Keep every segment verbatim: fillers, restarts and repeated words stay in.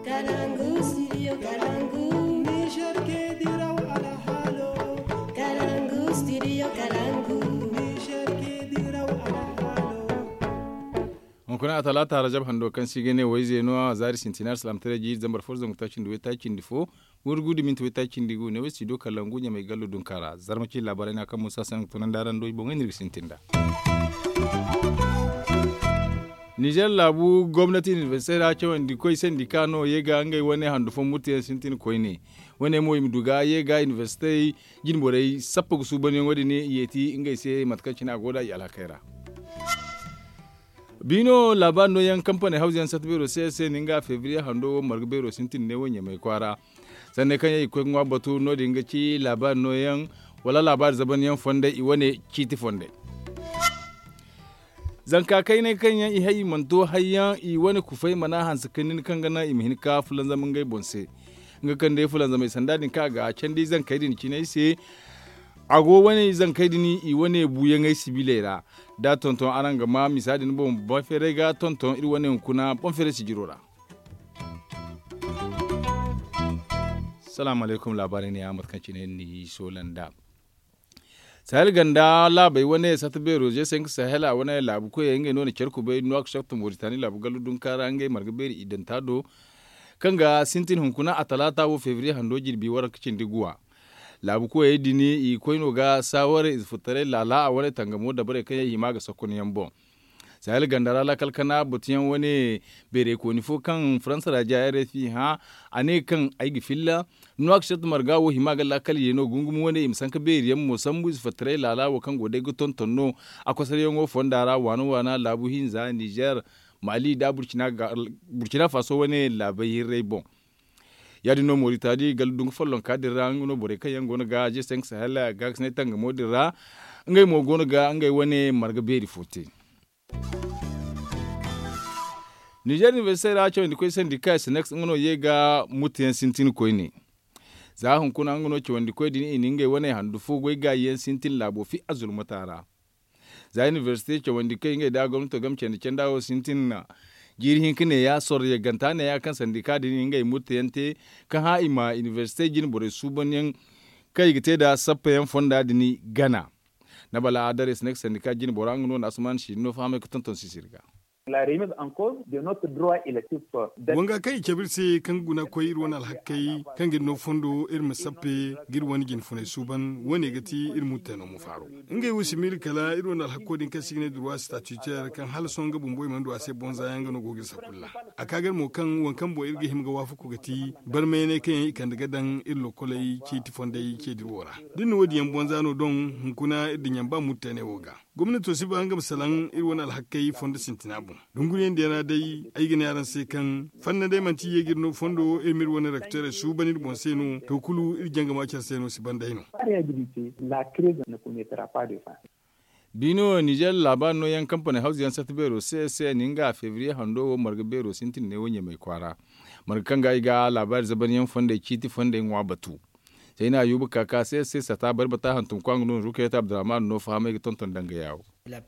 Kalangu studio kalangu. Niger ke diraw alhalo. Kalangu studio kalangu. Niger ke diraw alhalo. Hunkuna a talaata rajab hando kaŋ si ga ne wayze no a zaari sintina alsilaam tare jiiri zambar fo zangu taaci nda way taaci nda fo. Wurgu da minti way taaci nda gu ne way studio kalangu ɲamay gallo dunka ra zarma ci laabaray na kaŋ musa sanni ga tunandi araŋ do i boŋey no iri ga sintin nd'a. Nizer laabu gomnati inibersite ra cawandi koy sandika no ye ga ngey wane handu fo murteyaŋ sintin koyne. Wane mo i ma du ga ye ga inibersite jinborey sappa ga suubanyaŋo din i yeeti ngey se mate kaŋ cine a go da i alhakey ra. Biino laabaari nooyaŋ kampaney hawzayaŋ sata beero se se ni nga febriye hando wo marga beero sintin ne wo ɲamay kwaara. Sanney kaŋ yaŋ i ga koy ga ŋwa batu no- din ga ci laabaari nooyaŋ wala laabaari zabanyaŋ fondey i wane ciiti fondey. Zanka kayney kaŋ yaŋ i hay i mana to hayyaŋ i wane kufey mana hanse ka nin kaŋ ga naŋ i ma hin ka fulanzam ngey boŋ se. Nga kaŋ day fulanzamey sanda din kaŋ a ga candi zankey din cinay se. A go wane zankey din i wane buuyaŋey sibiley ra. Da tonton araŋ ga ma misa din boŋ boŋ feeray ga tonton iri wane hunkuna boŋ feeray sijiro ra. Salaamu alaykum laabaarey ne ya mate kaŋ cine ni soola nd'a. Sahel ganda laabey wane sata beero je se nga sahela wane laabu koyey ngey no na care kubay nuwa ka shakta moritani laabu gallu dunka ra ngey marga beeri idanta do. Kaŋ ga sintin hunkuna a talaata wo febriye hando jirbi waranka cindi guwa. Laabu koyey din i koy no ga saaware ize furtaray laala a wane tangamo dabarey kaŋ yaŋ i hima ga sakkunyaŋ boŋ. Sahel ganda ra laakal kana batuyaŋ wane beerey kooni fo kaŋ faransa ra ja rfi hã. A ne kaŋ ay ga filla nuwa ga sharta marga wo hima ga laakal ye no gungumo wane i ma sanka beeri yaŋ mo sambu ize fattaray laala wo kaŋ go day ga tonton no. A kosaryaŋo fonda ra waana waana laabu hinza nizer, mali nda burkina faso wane laabay hirray boŋ. Ya- din no moritani gala dungu follonka din ra nga no borey kaŋ yaŋ go no ga je se nga sahel gaakasinay tangamo din ra. Ngey mo go no ga ngey wane marga beeri fo te. Nizer inibersite ra cawandi koy sandika sinex nga no ye ga murtayaŋ sintin koyne. Za hunkuna nga no cawandi koy din i na ngey wane handu fo goy gaayi yaŋ sintin laabo fi a zulmata ra. Za inibersite cawandi koy ngey da gomnato game candi canda wo sintin na jiiri hinka ne ya sorro yagganta ne ya kaŋ sandika din ngey murtayaŋ te ka hã i ma inibersite jine borey suubanyaŋ kaŋ i ga te nda sappayaŋ fonda din gana. Nabala adare sinex sandika jine bora nga no na asuman siri no fahamay ga tonton sisiri ga. Wanga kaŋ i cabe iri se kaŋ ga guna koy iri wane alhakkey kaŋ ga iri no fondo iri ma sappe ga iri wane jine funay suuban wo- ne ga ti iri murtayno ma faaro. Ngey wo si miila kala iri wane alhakko din kaŋ se i ga ne droit statutaire kaŋ hala sohõ nga bumbo i mana du a se bonza yaŋ ga no go ga iri sakulla. A ka ga iri mo kaŋ waŋ kaŋ boŋ iri ga hima ga waafaku ga ti barmayaney kaŋ yaŋ i kande ga daŋ iri lokoley ceeti fondey ce dira wo ra. Da iri na wo- din yaŋ bonza no doŋ hunkuna iri dinya ba murtayaney wo ga. Gomnato si ba nga ma salaŋ iri wane alhakkey fondo sintina boŋ. Dunguriyaŋ diyaŋ ra day ay ga ne araŋ se kaŋ fanna day manti ye ga iri no fondo iri ma iri wane rektorey suuban iri boŋ se no to kulu iri jangama care se no si ban day no. Biino nizer laabaari nooyaŋ kampaney hawzayaŋ sata beero se se ni nga febriye hando wo marga beero sintin ne wo ɲamay kwaara. Marga kaŋ ga ay ga laabaari zabanyaŋ fondey ciiti fondey ŋwa batu. Sayna yuba kaka se se sata bari bata hantum kwaŋ no rukayat abdurrahman no fahamay ga tonton danga yawo. Iri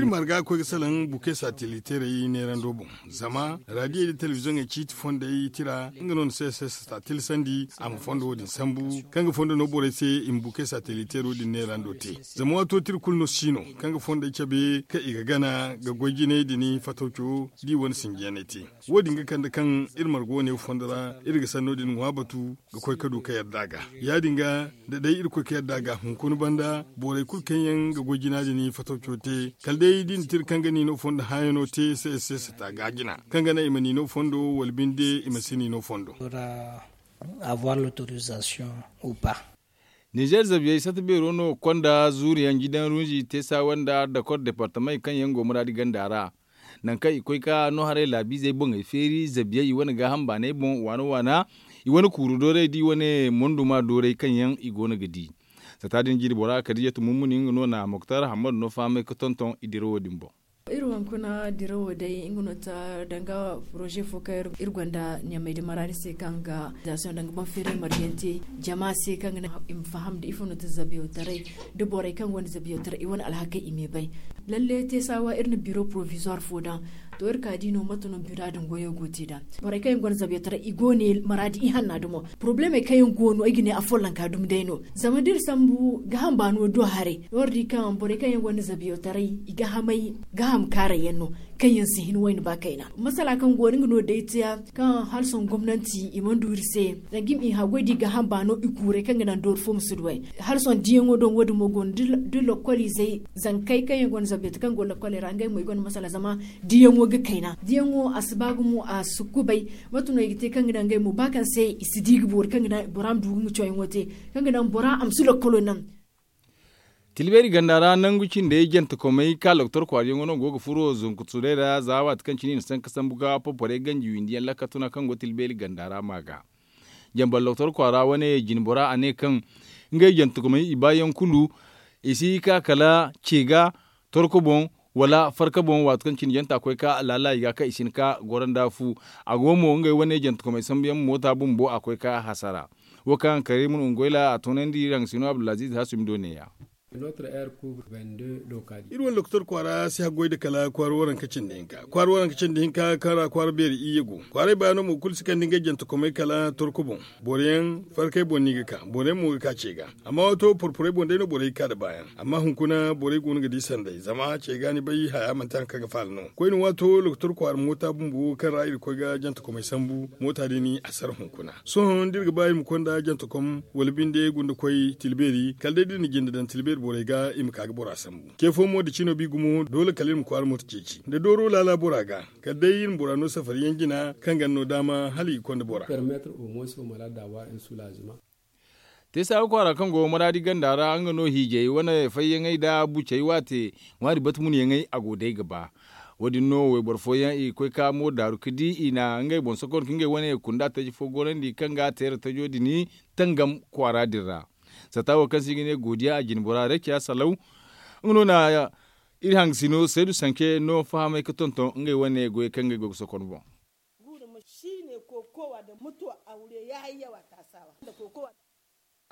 marga koy ga salaŋ buke sateliteerey neerando boŋ zama radiyey da telebiziyoŋey ciiti fondey tira nga no na se se sata tilasandi a ma fondo wo- din sambu kaŋ ga fondo no borey se i ma buke sateliteero din neerando te. Zama waato tira kulu no si no kaŋ ga fondey cabe kaŋ i ga gana ga goy jinay din fatawco da i wane sinjiyaney te. Wo- din ga kande kaŋ iri marga wane fondo ra iri ga sanno din ŋwa batu ga koy ka du ka yadda a ga. Ya- din ga da day iri koy ka yadda a ga hunkuna banda borey kulu kaŋ yaŋ ga goy jina din fatawco te kala day da i na tira kaŋ ga niino fondo hãayano te se se sata ga jina kaŋ ga naŋ i ma niino fondo wala binde i ma si niino fondo. Nizer zabiyey sata beero no konda zuuriyaŋ jidaŋ runzi teesawa nda dakor departamey kaŋ yaŋ go muraadi ganda ra. Nangu kaŋ i koy ka no haray laabiizey boŋey feeri zabiyey i wane gaaham baaney boŋ waana waana i wane kuuru dooray da i wane monduma dooray kaŋ yaŋ i go no ga di. Sata din jiiri bora kadijatu mummuni nga no na moktar hammadu no fahamay ga tonton i dirawo din boŋ. Iri hunkuna dirawo day nga no ta danga poroze fo kaŋ iri gonda ɲamay da maraadi se kaŋ ga zasiyoŋ danga boŋ feeray margante jama se kaŋ ga naŋ i ma faham da ifo no ta zabiyaw taray da borey kaŋ gonda zabiyaw taray i wane alhakey i ma i bay. Lalle te saawa iri na biro porovizoir fo daŋ To iri ka di no mate no bira din goyo go te nd'a. Borey kaŋ yaŋ gonda zabiyotaray i go ne maraadi ihanna dumo. Porobalemey kaŋ yaŋ go no ay ga ne afollanka dumi day no. Zama da iri sambu gaaham baano do haray no iri di kaŋ borey kaŋ yaŋ gonda zabiyotaray i gaahamay gaaham kaaray yaŋ no. Kaŋ yaŋ si hin wayna ba kayna masala kaŋ go no nga no day te kaŋ hala sohõ gomnanti i mana du iri se. Zanga i ma i haggoy da i gaaham baano i kuuray kaŋ ga naŋ doori fo ma si du ay. Hala sohõ diyaŋo do wo- din mo go no da lokoliizey zankey kaŋ yaŋ gonda zabiyotaray kaŋ go lokkoley ra ngey mo i gonda masala zama diyaŋo ga kayna diyaŋo a si ba gumo a si kubay. Mate no i ga te kaŋ ga naŋ ngey mo ba kaŋ se i si di ga boori kaŋ ga naŋ bora ma du ga nga cawyaŋo te kaŋ ga naŋ bora a ma si lokkolo naŋ. Tilbeeri ganda ra nangu cindey jantekomey ka loktor kwaariyaŋo no go ga furo zunkuturay ra za waati kaŋ cine i na sanka sambu ga porporey ganji windi yaŋ lakka tuna kaŋ go tilbeeri ganda ra ma ga. Jambar loktor kwaara wane jine bora a ne kaŋ ngey jantekomey i baayaŋ kulu i si ka kala ce ga torko boŋ wala farka boŋ waati kaŋ cine janta koy ka laala i ga kaŋ i si hin ka goro nda fu. A go mo ngey wane jantekomey sambu yaŋ moota bumbo a koy ka hasara. Wo kaŋ karimu ungoyla a toonandi iri haŋ sino abdulaziz hasumi do ne- ya. Iri wane lokotor kwaara si haggoy nda kala kwaara waranka cindi hinka kwaara waranka cindi hinka kaŋ ra kwaara beeri iyye go. Kwaaray baano mo kulu si kande ngey jantekomey kala torko boŋ. Boro yaŋ farkay boŋ no i ga ka boro yaŋ mo ga ka ce ga. Amma waato porporey boŋ day no borey ga ka nda baayaŋ. Amma hunkuna borey go no ga di sanday zama ce ga ni bay haya manti hari kaŋ ga faala no koyne waato lokotor kwaara moota bumbo kaŋ ra iri ga koy ga jantekomey sambu moota din a sara hunkuna. Sohõ da iri ga ba iri ma konda jantekom wala binde gunda koy tilbeeri kala day da iri na jinde daŋ tilbeeri borey ga i ma ka ga bora sambu ce fo mo da cino bi gumo doole kala iri ma kwaara moota ceeci nda dooro laala bora ga. Kala day iri ma bora no safari yaŋ jina kaŋ ga ni no daama hala i ga konda bora. Teesa ga kwaara kaŋ go maraadi ganda ra nga no hiijay wane fayyaŋey nda bucey waate ŋwaari bata munyaŋey a go day ga ba. Wo- din no wayboro fooyaŋ i ga koy ka mo daaru ga di i na ngey boŋ sokon ka ngey wane kunda taji fo gorandi kaŋ ga a teera tajo din tangam kwaara din ra. Satta wo kaŋ se i ga ne godiya a jine bora rekiya salaw. Nga no na iri hangasino saydu sanke no fahamay ga tonton ngey wane goyey kaŋ ngey go ga sokon boŋ.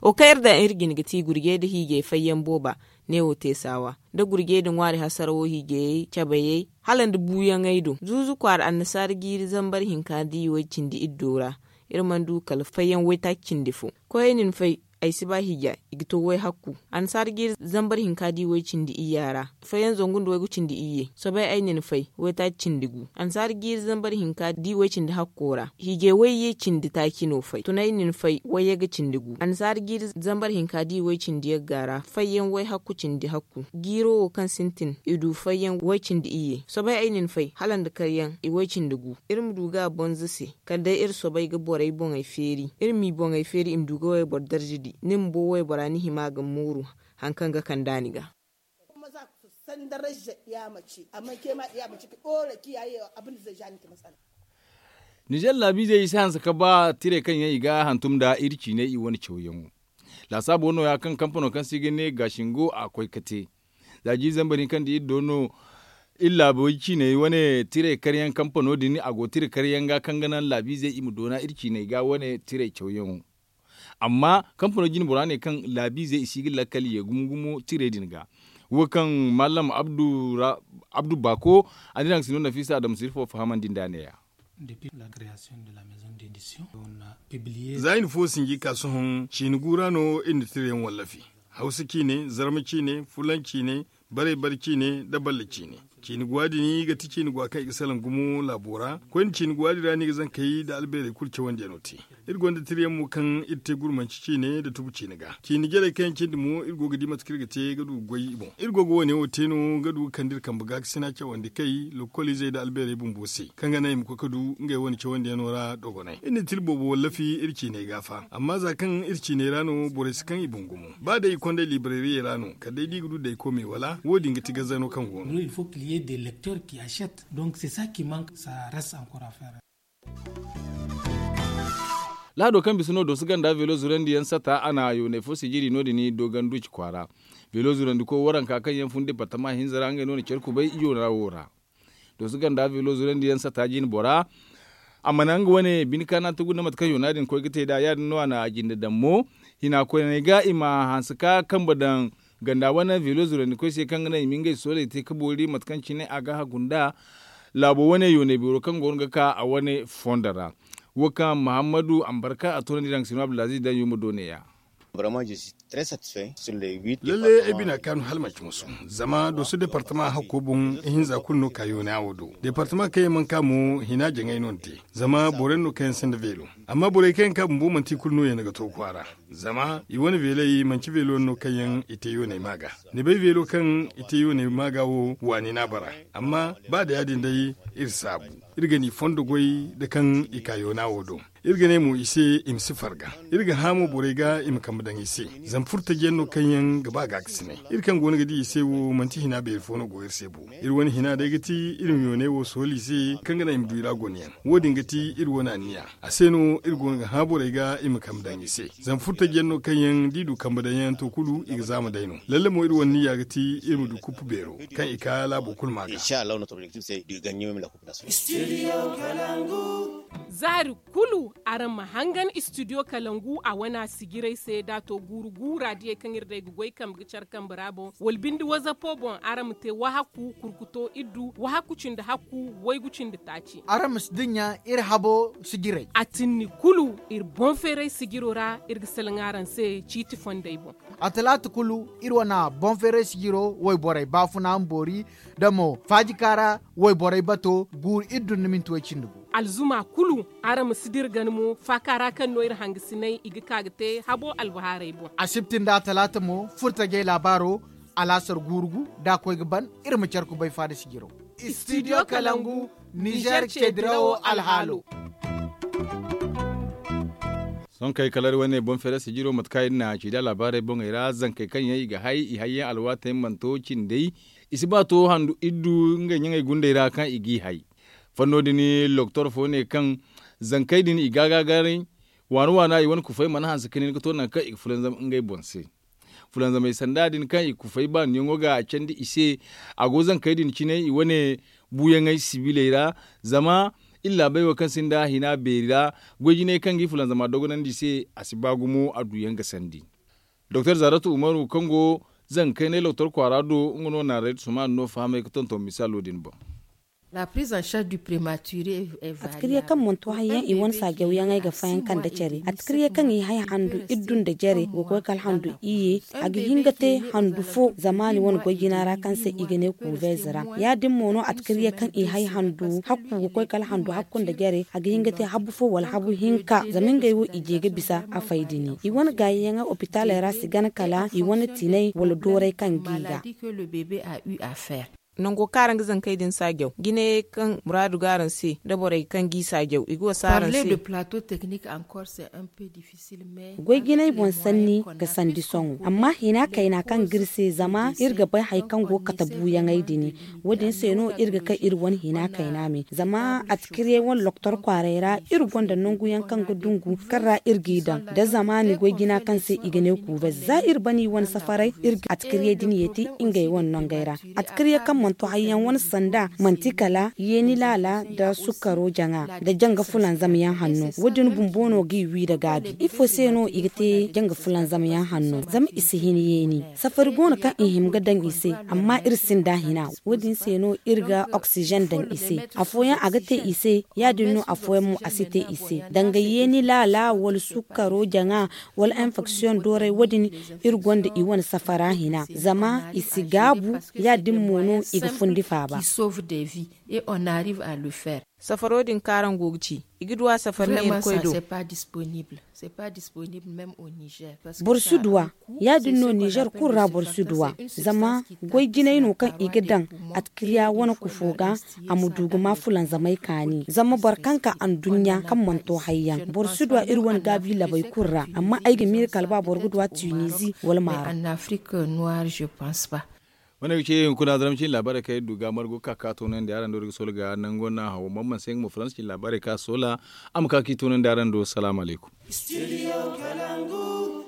Wo kaŋ iri daŋ iri jine ga ti gurjey nda hiijay fayyaŋ booba ne wo te saawa nda gurjey nda ŋwaari hasarawo hiijayey cabayey hala nda buuyaŋey do zuuzu kwaara annasaara jiiri zambar hinka da i way cindi iddo ra. Iri mana du kala fayyaŋ waytaaci cindi fo koyey na ni fay. Ay si ba hiija i ga to way hakku. Annasaara jiiri zambar hinka da i way cindi iyya ra fayyaŋ zangu nda waygu cindi iyye soobay ay na ni fay waytaaci cindi gu. Annasaara jiiri zambar hinka da i way cindi hakko ra hiijay wayye cindi taaci no fay tunay na ni fay wayyaga cindi gu annasaara jiiri zambar hinka da i way cindi yagga ra fayyaŋ way hakku cindi hakku. Jiiro wo kaŋ sintin i du fayyaŋ way cindi iyye soobay ay na ni fay hala nda karyaŋ i way cindi gu. Iri ma du ga a bonza se kala day iri soobay ga borey boŋey feeri iri m'i boŋey feeri i ma du ga wayboro darza di ni bumbo waybora ni hima ga mooru. Hari kaŋ ga kand'a ni ga. Nizer laabiizey i si hanse ka ba tirey kaŋ yaŋ i ga hantum nda iri ciiney i wane cawyaŋo. Laasaabo no- ya kaŋ kampano kaŋ se i ga ne gaashingo a koy ga te. Za jiiri zambar hinka nda iri do no iri laabo ciiney wane tirey karyaŋ kampano din a go tira karyaŋ ga kaŋ ga naŋ laabiizey i ma doona iri ciiney ga wane tirey cawyaŋo. Amma kampano jine bora ne kaŋ laabiizey i si ga lakkal ye gumo gumo tirey din ga. Wo kaŋ mallam abdu baako a diraŋ sino nafiisa adama sirfo fahamandi nda ne- ya. Za i na fo sinji ka sohõ ciini gu ra no iri na tirayaŋ wallafi. Hawsa ciine, zarma ciine, fulan ciine, bare bare ciine, nda balle ciine. Ciini guwa din ga ti ciini guwa kaŋ i ga salaŋ gumo laabo ra koyne ciini guwa din ra no i ga zankey nda albeerey kulu cawandiyaŋo te. Iri gonda tirayaŋ mo kaŋ iri te gurmanci ciine nda tubu ciine ga ciini jarey kaŋ yaŋ cindi mo iri go ga di mate kaŋ iri ga te ga du ga goy i boŋ iri go ga wane wo te no ga du ga kande iri kambe gaakasina cawandi kay lokoliizey nda albeerey bumbo se kaŋ ga naŋ i ma koy ga du ngey wane cawandiyaŋo ra dogonay iri na tira boobo wallafi iri ciiney ga fa amma za kaŋ iri ciiney ra no borey si kaŋ i boŋ gumo ba day i kondey libreriyey ra no kala day da i ga du dayko me wala wo- din ga ti gazzano kaŋ go no. Lahado kaŋ bisa no dooso ganda veelo zurandi yaŋ sata a na yoonay fo sijiri no- din doogan duuci kwaara. Veelo zurandi koy waranka kaŋ yaŋ fun departama hinza ra ngey no na care kubay yoona wo ra. Dooso ganda veelo zurandi yaŋ sata jine bora a mana nga wane bine kaana tugu nda mate kaŋ yoona din koy ga te nd'a ya- din no a na a jinde daŋ mo. Hina koyney ga i ma hanse ka kambe daŋ ganda wane veelo zurandi koy se kaŋ ga naŋ i ma ngey sooley te ga boori mate kaŋ cine a ga hagu nd'a. laabo wane yoonay beero kaŋ go no ga ka a wane fondo ra. Wo kaŋ muhammadu ambarka a toonandi daŋ sino abdulaziz daŋ yuma do neeya. Lalle ay bina kaanu hala manci musu. Zama dooso departama hakko boŋ ihinza kulu no ka yoona wo do. Departama kaŋ yaŋ mana ka mo hina jaŋay no ni te. Zama boro yaŋ no kaŋ yaŋ sinda veelo. Amma borey kaŋ yaŋ ka bumbo manti i kulu no yaŋ ga to kwaara. Zama i wane veeley manci veelo yaŋ no kaŋ yaŋ i te yoonay maaga. Ni bay veelo kaŋ i te yoonay maaga wo waani no a bara. Amma ba da ya- din day, iri saabu. Iri ga ni fondo goy da kaŋ i ka yoona wo do. Iri ga ne mo i se i ma si farga. Iri ga hã mo borey ga i ma kambe daŋ i se. Zama furtajiyaŋ no kaŋ yaŋ ga ba gaakasinay. Iri kaŋ go no ga di i se wo manti hina beeri fo no go iri se bo. Iri wane hina day ga ti iri ma yoonay wo sooli i se kaŋ ga naŋ i ma du i ra gonayaŋ. Wo- din ga ti iri wane anniya. A se no iri go no ga hã borey ga i ma kambe daŋ i se. Zama furtajiyaŋ no kaŋ yaŋ da i du kambe daŋ yaŋ to kulu i ga zaama day no. Lalle mo iri wane niya ga ti iri ma du kuppu beero kaŋ i ka laabo kulu ma ga. Zaari kulu araŋ ma hangan istidiyo kalangu a wana sijiray se da a to guuru guura diyey kaŋ iri day ga goy kambe ga care kambe ra boŋ wala binde wazapo boŋ araŋ ma te wahakku kurkuto iddu wahakku cindi hakku waygu cindi taaci. Araŋ ma si dinya iri habo sijiray. A tinni kulu iri boŋ feeray sijiro ra iri ga salaŋ araŋ se ciiti fondey boŋ. A talaata kulu iri wana boŋ feeray sijiro wayborey baafuna ma boori da mo faajika ra wayborey bato guuru iri dunna minti way cindi gu. Alzuma kulu araŋ ma si dira gana mo faaka ra kaŋ no iri hangasinay i ga ka ga te habo albahaarey boŋ. Asibti nda talaata mo furtajey laabaaro alaasar guuru gu da a koy ga ban. Iri ma care kubay faada sijiro. Istidiyo kalangu nizer ceedirawo alhaalo. Sohõ kay kala iri wane boŋ feere sijiro mate kaŋ iri na ci da laabaarey boŋey ra zankey kaŋ yaŋ i ga hay i hayyaŋ alwaatey mana to cindey. I si ba to handu iddu ngey ɲaŋey gundey ra kaŋ i g'i hay. Fanno din loktor fo ne kaŋ zankey din i ga a gaagaray waana waana i wane kufey mana hanse ka nin ga to nangu kaŋ i ga fulanzam ngey boŋ se. Fulanzamey sanda din kaŋ i kufey baaniyaŋo ga a candi i se. A go zankey din cine i wane buuyaŋey sibiley ra. Zama iri laabey wo kaŋ sinda hina beeri ra goy jinay kaŋ ga i fulanzama dogonandi i se a si ba gumo a duuyaŋ ga sandi. Doktor zaratu umaru kaŋ go zankaynay loktor kwaara do nga no naaraytu sumaanu no fahamay ga tonton misaalo din boŋ. Atkirye kaŋ mana to hayyaŋ i wane saajawyaŋey ga fayanka nda care atkirye kaŋ i hay handu iddu nda jare ga koy kala handu iyye. A ga hin ga te handu fo zamaani wane goy jina ra kaŋ se i ga ne kuubeyze ra. Ya- din mo no atkirye kaŋ i hay handu hakku ga koy kala handu hakku nda jare a ga hin ga te habu fo wala habu hinka zama ngey wo i je ga bisa a fay dini i wane gaayiyaŋey opitaaley ra si gana kala i wane tinay wala dooray kaŋ g'i ga. Nango kaŋ araŋ ga zankey din saajaw jinayey kaŋ muraadu ga araŋ se nda borey kaŋ g'i saajaw i ga wasa araŋ se. Goy jinay boŋ sanni ga sandi sohõ amma hina kayna kaŋ ga iri se zama iri ga bay hari kaŋ go ga kate buuyaŋey din. Wo- din se no iri ga kay iri wane hina kayna me zama atkiriyey wane loktor kwaaray ra iri gonda nangu yaŋ kaŋ ga dungu kaŋ ra iri g'i daŋ da zamaani goy jina kaŋ se i ga ne kuubay za iri bana i wane safaray iri ga atkiriyey din yeeti ngey wane nangey ra. Atkiriyey kaŋ mana to hari yaŋ wane sanda manti kala yeeni laala nda sukkaro jaŋa nda janga fulanzam yaŋ hanno wo- din bumbo no g'i wi nda gaabi ifo se no i ga te janga fulanzam yaŋ hanno zama i si hin yeeni. Safari go no kaŋ i hima ga daŋ i se amma iri sinda hina wo- din se no iri ga oksizen daŋ i se. Afooyaŋ a ga te i se ya- din no afooyaŋ mo a si te i se danga yeeni laala wala sukkaro jaŋa wala enfeksiyoŋ dooray wo- din. Iri gonda i wane safara hina zama i si gaabu ya- din mo no i ga fundi faaba. Safaro din kaŋ araŋ go ga ci i ga du a safari neera koy do. Boro si du a ya- din no nizer kulu ra boro si du a zama goy jinay no kaŋ i ga daŋ atkiriya wane kufo ga a ma du ga ma fulanzamay kaani zama boro kaŋ ka anduɲɲa kaŋ mana to hayyaŋ boro si du a iri wane gaabi labey kulu ra amma ay ga miila kala ba boro ga du a tunizi wala maaro. Wane ga ce hunkuna zaramci laabaarey kaŋ iri du ga margu ga ka ga toonandi araŋ do iri ga soola ga nango no a haw amma manse nga mo faransa cine laabaarey kaŋ a soola a ma ka ga i toonandi araŋ do salaamu alaykum.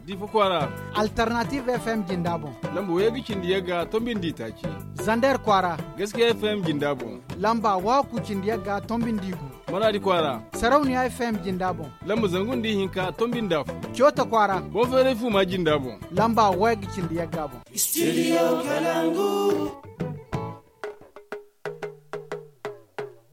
Difa kwaara. Alternative fm jinda boŋ. Lamba wayga cindi yagga tombi nda itaaci. Zander kwaara. Gaskiya fm jinda boŋ. Lamba waku cindi yagga tombi nda igu. Maradi kwaara. Sarauniya fm jinda boŋ. Lamba zangu nda ihinka tombi nda afo. Coota kwaara. Boŋ feeray fuma jinda boŋ. Lamba wayga cindi yagga boŋ. Studio kalangu.